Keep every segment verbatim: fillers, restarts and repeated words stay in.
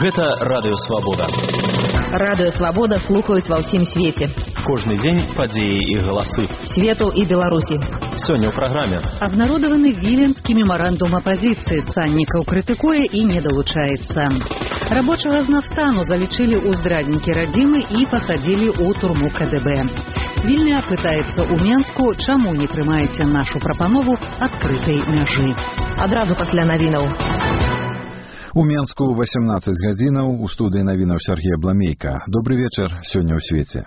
Гэта Радыё Свабода. Радыё Свабода слухаюць ва ўсім свеце. Кожны дзень падзеі і галасы. Свету і Беларусі. Сёння ў праграме. Абнародаваны Віленскі мемарандум апазіцыі. Саннікаў крытыкуе і не далучаецца. Рабочага з нафтану залічылі ў здраднікі радзімы і пасадзілі ў турму ка дэ бэ. Вільня пытаецца ў Менску, чаму не прымаеце нашу прапанову адкрытай мяжы. Адразу пасля навінаў. У Менску васемнаццаць гадзінаў, у студыі навінаў Сергея Бламейка. Добры вечар, сёння ў свеце.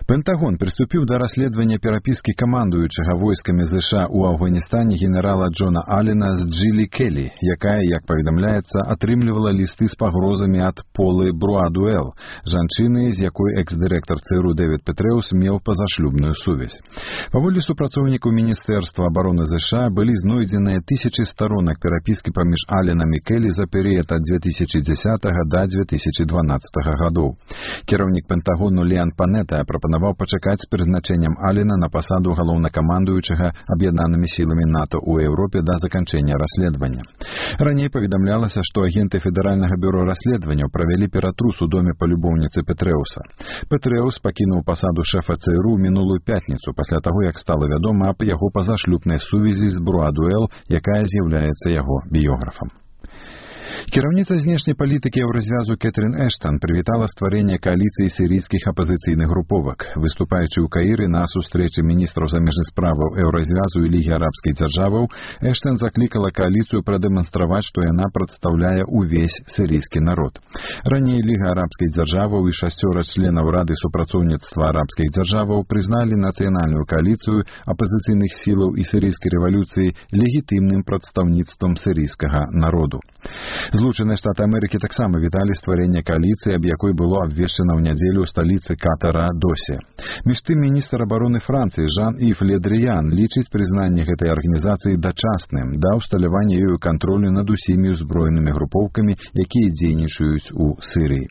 Пентагон прыступіў да расследавання перапіскі камандуючага войскамі ЗША ў Афганістане генерала Джона Аллена з Джилі Келлі, якая, як паведамляецца, атрымлівала лісты з пагрозамі ад Полы Бруадуэл, жанчыны, з якой экс-дырэктар ЦРУ Дэвід Петрэус меў пазашлюбную сувязь. Паводле супрацоўнікаў Міністэрства абароны ЗША былі знойдзеныя тысячы старонак перапіскі паміж Алленам і Келлі за перыяд ад дзве тысячы дзесятага да дзве тысячы дванаццатага гадоў. Кіраўнік Пентагону Леан Панета прапанаваў пачакаць з прызначэннем Аллена на пасаду галоўнакамандуючага аб'яднанымі сіламі НАТО ў Еўропе да заканчэння расследавання. Раней паведамлялася, што агенты Федэральнага бюро расследаванняў правялі ператрус у доме палюбоўніцы Петрэуса. Петрэус пакінуў пасаду шэфа ЦРУ мінулую пятніцу пасля таго, як стала вядома аб яго пазашлюбнай сувязі з Бруадуэл, якая з'яўляецца яго біёграфам. Кіраўніца знешняй палітыкі Еўразвязу Кэтрин Эштан прывітала стварэнне кааліцыі сірійскіх апазіцыйных груповак. Выступаючы ў Каіры на сустрэчы міністраў замежных справаў Еўразвязу і Лігі арабскіх дзяржаваў, Эштан заклікала кааліцыю прадэманстраваць, што яна прадстаўляе увесь сірійскі народ. Раней Ліга арабскіх дзяржаваў і шасцёра членаў Рады супрацоўніцтва арабскіх дзяржаваў прызналі нацыянальную кааліцыю апазіцыйных сілаў і сірійскай рэвалюцыі легітымным прадстаўніцтвам сірійскага народу. Злучаныя Штаты Амерыкі таксама віталі стварэнне кааліцыі, аб якой было абвешчана ў нядзелю ў сталіцы Катара Досе. Між тым, міністр абароны Францыі Жан-Ів Ле Дрыян лічыць прызнанне гэтай арганізацыі дачасным да ўсталявання ёю кантролю над усімі ўзброенымі групоўкамі, якія дзейнічаюць у Сірыі.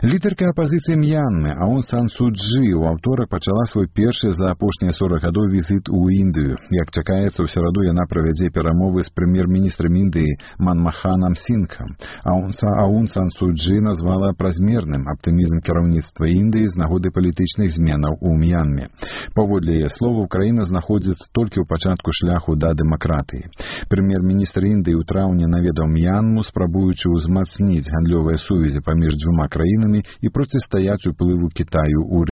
Лідарка апазіцыі М'янмы Аун Сан Су Чжы ў аўторак пачала свой першы за апошнія сорак гадоў візіт у Індыю. Як чакаецца, у сераду яна правядзе перамовы з прэм'ер-міністрам Індыі Манмаханам Сінгхам. Аун Сан Су Чжы назвала празмерным аптымізм кіраўніцтва Індыі з нагоды палітычных зменаў у М'янме. Паводле яе словаў, краіна знаходзіцца толькі ў пачатку шляху да дэмакратыі. Прэм'ер-міністр Індыі ў траўні наведаў М'янму, спрабуючы ўзмацніць гандлёвыя сувязі паміж дзвюма краінамі і процістаяць уплыву Кітаю ў